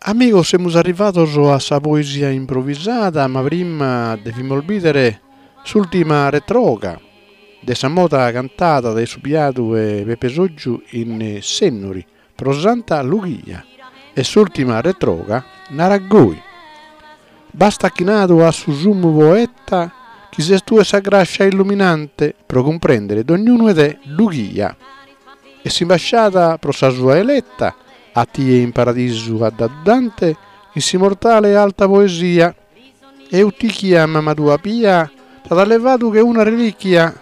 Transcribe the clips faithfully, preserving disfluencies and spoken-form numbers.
Amigos, semus arrivados a sa poesia improvisada, ma prima devimus bìdere s'ùrtima retroga de sa moda cantada dae su biadu 'e Pepe Soggiu in Sennori pro Santa Lughia. E s'ùrtima retroga narat goi. Basta chi nadu at su summu poeta chi ses tue sa grascia illuminante pro cumprèndere dognunu 'e te, Lughia. E s'imbasciada pro sa sua eleta a tie in paradisu at dadu Dante in s'immortale alta poesia. Eutichia mama tua pia t'at allevadu che una relichia,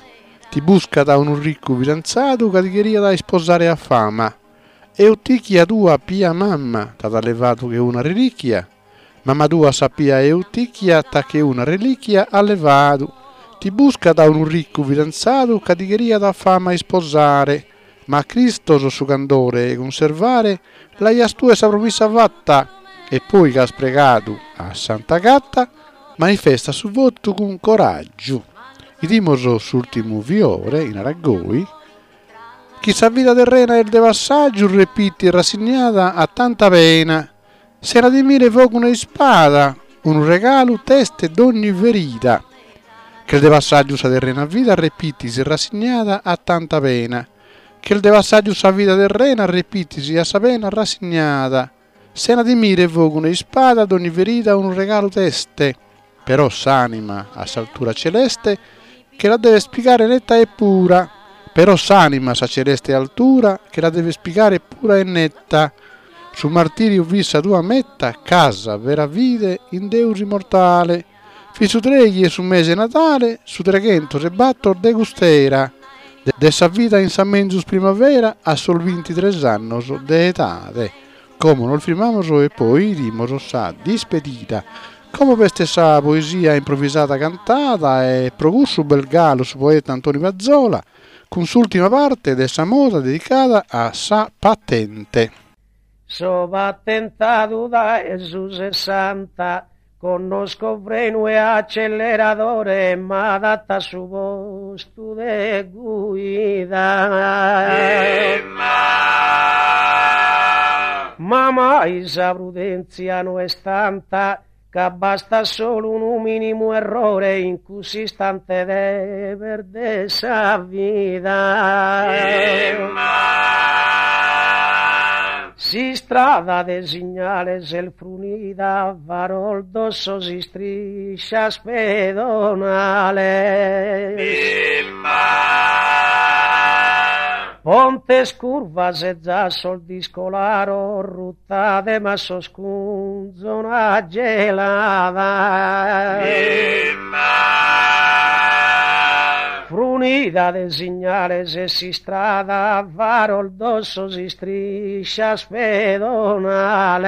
ti buscat unu riccu fidanzadu ca ti cheriat isposare a fama. Eutichia tua pia mama t'at allevadu che una relichia, mama tua sa pia Eutichia t'at che una relichia allevadu, ti buscat unu riccu fidanzadu ca ti cheriat a fama isposare, ma a Cristos su candore 'e cunservare l'aias tue sa promissa fatta, e poi ch'as pregadu a Sant'Agata manifesta su votu cun coraggiu. 'Idimus s'ùrtimu fiore in Aragoi, chi sa vida terrena est de passaggiu repiti rassignada a tanta pena, sena timire fogu ne ispada, unu regalu t'est dogni ferida. Ch'est de passaggiu sa terrena vida repitis rassignada a tanta pena, ch'est de passaggiu sa vida terrena repitis a sa pena rassignada, sena timire fogu ne ispada dogni ferida unu regalu t'est, però s'anima a s'altura celeste che la deves pigare netta e pura, però s'anima a sa celeste altura che la deves pigare pura e netta, su martiriu fit sa tua meta, ch'as vera fide in Deus immortale, fit su treighi 'e su mese 'e Nadale, su treghentos e battor de cust'era, de sa vida in sa menzus primavera a sos bintitres annos de edade. Como nos firmamus e poi 'idimus sa dispedida. Como b'est sa poesia improvisada cantada e pro cussu b'est galu su poeta Antoni Pazzola cun s'ùrtima parte de sa moda dedicada a sa patente. So patentadu dae su sessanta, connosco frenu e acceleradore, m'adatto a su postu de guida. Ma mai sa prudenzia no est tanta, ca bastat solu unu minimu errore in cuss'istante de perder sa vida. S'istrada de signales est frunida, faros, dossos, istriscias pedonales. Pontes, curvas e zassos discolaros, ruta de massos cun zona gelada. Frunida de signales est s'istrada, faros, dossos, istriscias pedonales.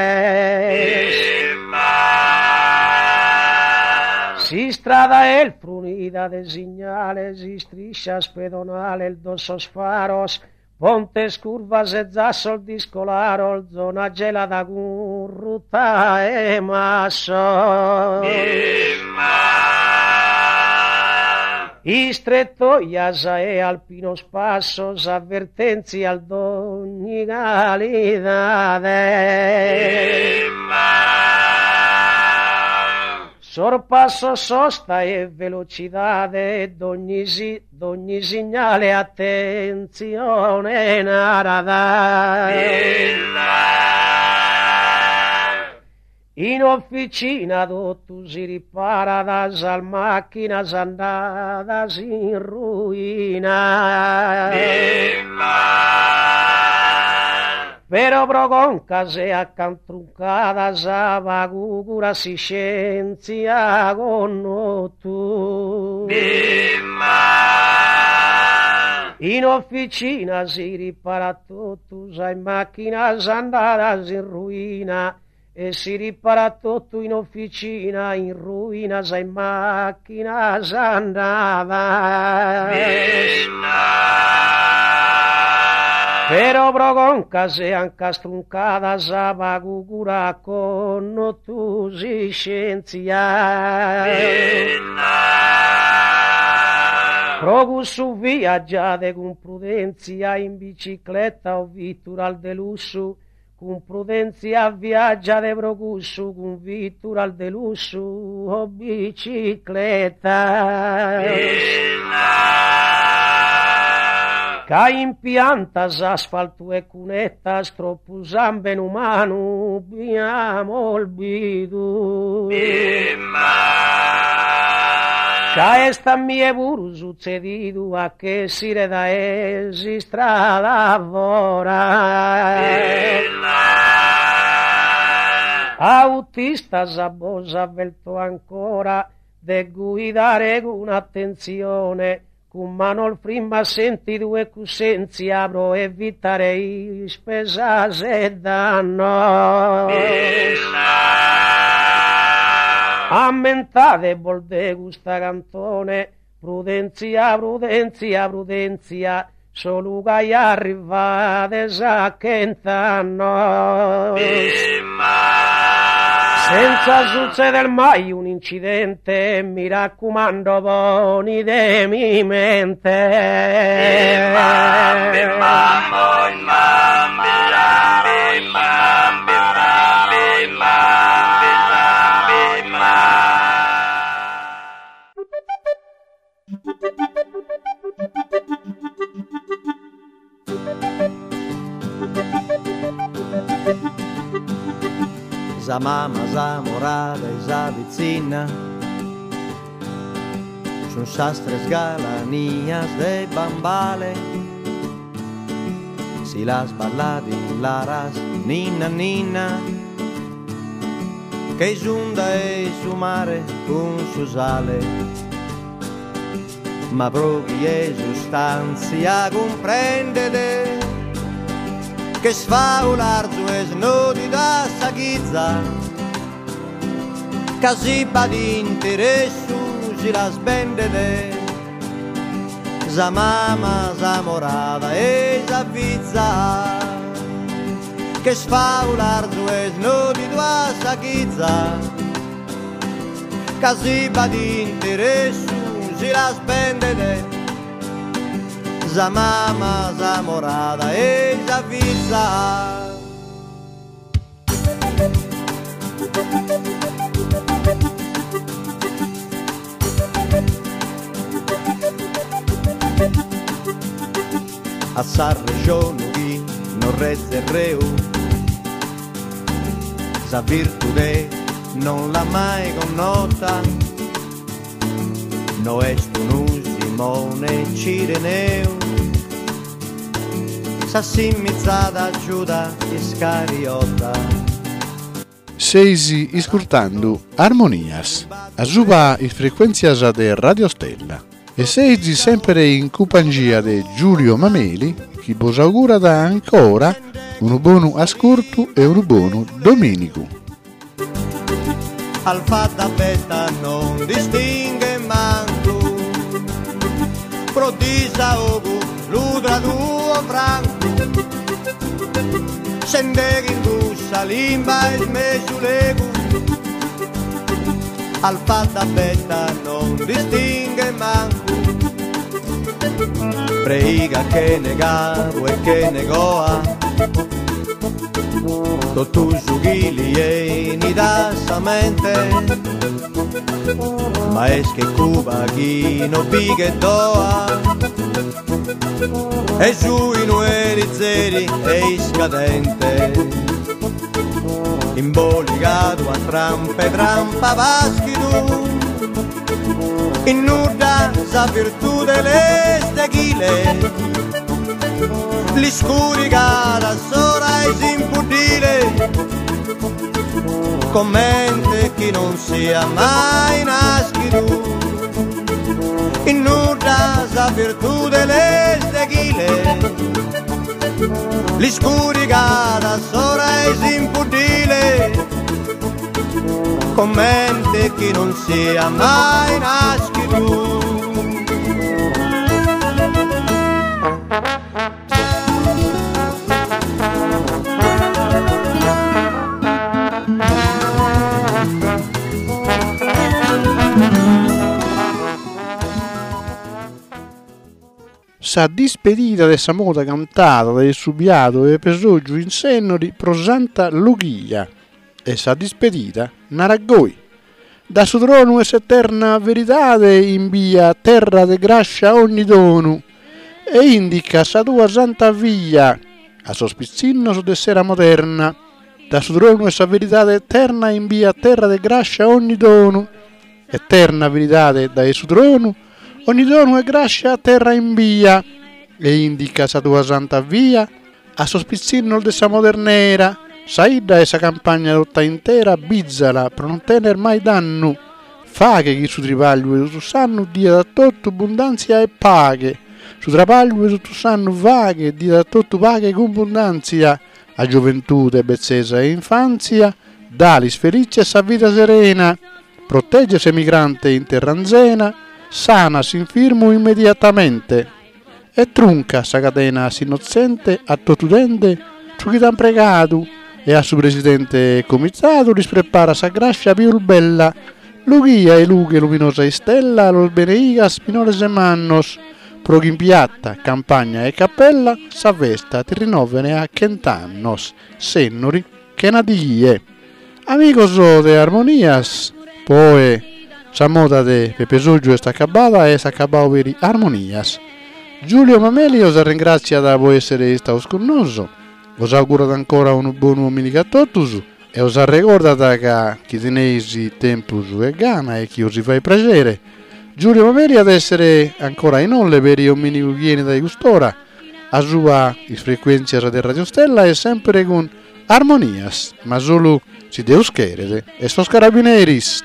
S'istrada est frunida de signales, istriscias pedonales, dossos, faros, pontes, curvas e zassos discolaros, zona gelada cun ruta 'e massos. Istrettoias e alpinos passos, avvertentzias d'ogni calidade. Sorpassos, sosta e velocidade, dogni si, dogni signale attentzione narat. In officina totu si riparat, sas macchinas andadas in ruina. Però pro concas e ancas truncadas pagu curat s'iscientzia connotu. In officina si riparat totu, sas macchinas andadas in ruina, e si riparat totu in officina, in ruina sas macchinas andadas. Però pro concas e ancas truncadas pagu cura connotu s'iscientzia. Pro cussu viaggiade cun prudentzia in bicicletta o vitturas de lussu, Cun prudenzia viaggiate pro cussu, cun vitturas de lussu o bicicletas. Ca in piantas, asfaltu e cunettas troppu samben umanu bi amos bidu. Ca est a mie puru sutzedidu a ch'essire dae s'istrada fora. Autistas bos avverto ancora de guidare cun attenzione, cun manos frimmas, sentidu e cussenzia pro evitare ispesas e dannos. Ammentadebos de custa cantone, prudenzia, prudenzia, prudenzia, solu gai arrivades a chent'annos. Senza sutzeder mai un incidente, mi raccumando, ponidemi mente. Sa mama, s'amorada e sa pizzina sun sas tres galanias de Bambale. Si las ballat in laras, ninna ninna, che s'unda 'e su mare cun su sale. Ma pro chie sustanzia cumprendet che sfaularzu es nodida sa chizza, ca si b'at interessu si las bendet sa mama, s'amorada e sa fiza, che sfaularzu es nodidu a sa chizza, ca si b'at interessu si las bendet sa mama, s'amorada e sa fiza. A sa regione chi non rezze reu, sa virtude non l'ha mai connota, no est unu Simone Cireneu, s'assimizzada Giuda Iscariota. Seis iscurtando Armonias, a suba is frequenzias de Radio Stella. E seis sempre in compagnia de Giulio Mameli, chi vos augura ancora un buon ascolto e un buon domenico. Alfa da beta non distingue manco, pro disaogo lu traduo franco, sende in bussa limba e mesu legu. Alfa da beta non distingue manco, preiga che negavo e che negoa, totu su chi li eni da sa mente, ma es che Cuba chi no pighe doa, e giù in ueri zeri e iscadente, imboligado a trampa e trampa vaschidu, in nuda sa virtù dell'esteghile, l'iscurigada sora es impudile, commente chi non sia mai naschidu, in nuda sa virtù dell'esteghile, l'iscurigada sora es impudile, commente chi non sia mai naschidu. Sa dispedida de sa moda cantada dae su biadu Pepe Soggiu in Sennori pro Santa Lughia. E sa dispedida narat goi. Da su tronu 'e s'eterna veridade imbia a terra de grascia ogni donu e indica sa tua santa via a sos pitzinnos de s'era moderna. Da su tronu 'e sa veridade eterna imbia a terra de grascia ogni donu. Eterna veridade dae su tronu, ogni donu e grascia a terra imbia e indica sa tua santa via a sos pitzinnos de sa modernera. Sa 'idda e sa campagna tota intera bizala pro non tenner mai dannu. Faghe chi su tribagliu 'e totu s'annu diat a totu bundantzia e paghe. Su trabagliu 'e totu s'annu faghe diat a totu paghe cun bundantzia. A gioventude, betzesa e infantzia, dalis felice sa vida serena. Protegge s'emigrante in terra anzena, sana s'infirmu immediatamente. E trunca sa cadena a s'innotzente a totu dende su chi t'an pregadu e a su presidente e comitadu lis prepara sa grascia pius bella. Lughia 'e lughe luminosa istella los beneigas minores e mannos, pro chi in piatta, campagna e cappella sa festa ti rinnovene a chent'annos, Sennori, chena die. Amigos de Armonias, poi sa moda de Pepe Soggiu est acabada e est acabadu peri Armonias. Giulio Mameli os ringratziat pro essere istados cun noso, os augurat ancora unu bonu dominigu a totus e os arregordat ca chi teneis tempus e gana e chi os faghet piacere. Giulio Mameli at essere ancora in olle per dominigu chi 'enit dae cust'ora, a sua is frequentzias de Radio Stella e sempre cun Armonias, ma solu si Deus cheret e sos carabineris.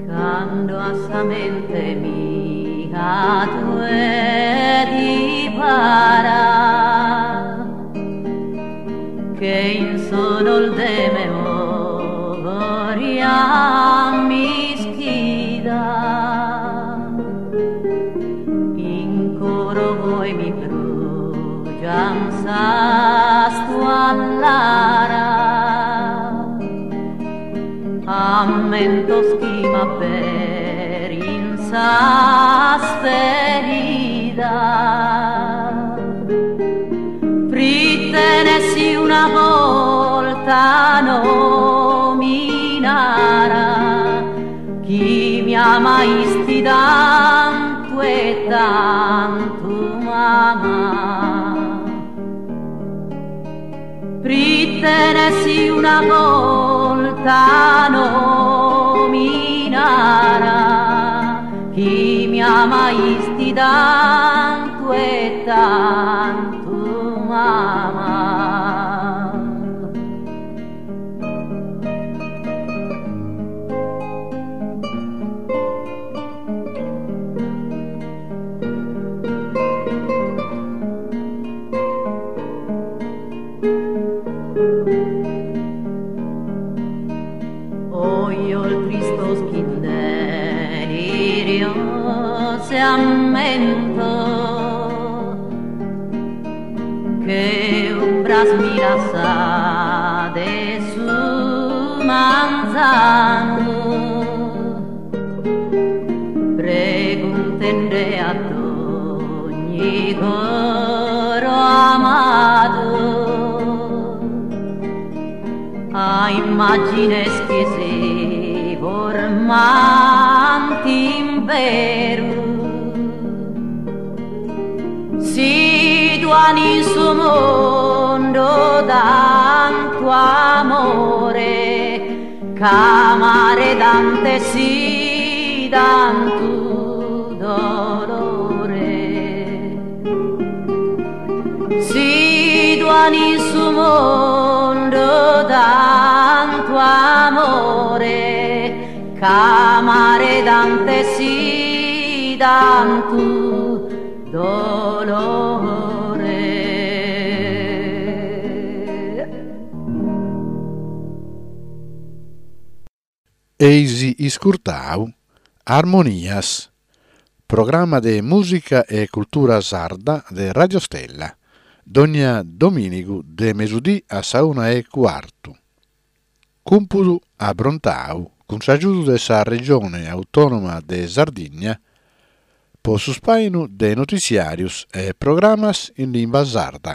Cando a sa mente mia tue ti para che in sonol de memoria m'ischida in coro voi mi brugian sas tuas lara ammentos chi m'aperin sas feridas. Prite nessi una volta no mi nara chi mi amaisti tanto e tanto mamma. Prite nessi una volta no mi nara chi mi amaisti tanto e tanto mamma. Oio il tristo sch'in delirio se ammento che umbras mi lassa de su manzanu preguntende a ogni coro amado a immagines che si formanti in veru situan in su mondo tanto amore ch'amare dante si tanto dolore situan in su mondo tanto amore ch'amare dante si tanto dolore. Eisi iscurtau Armonias, programma de mùsica e cultura sarda de Radio Stella, dònnia domìnigu de mesudie a sa una e cuartu. Cùmpudu aprontadu cun s'agiudu de sa Regione Autònoma de Sardigna pro su ispàinu de notiziàrios e programmas in limba sarda.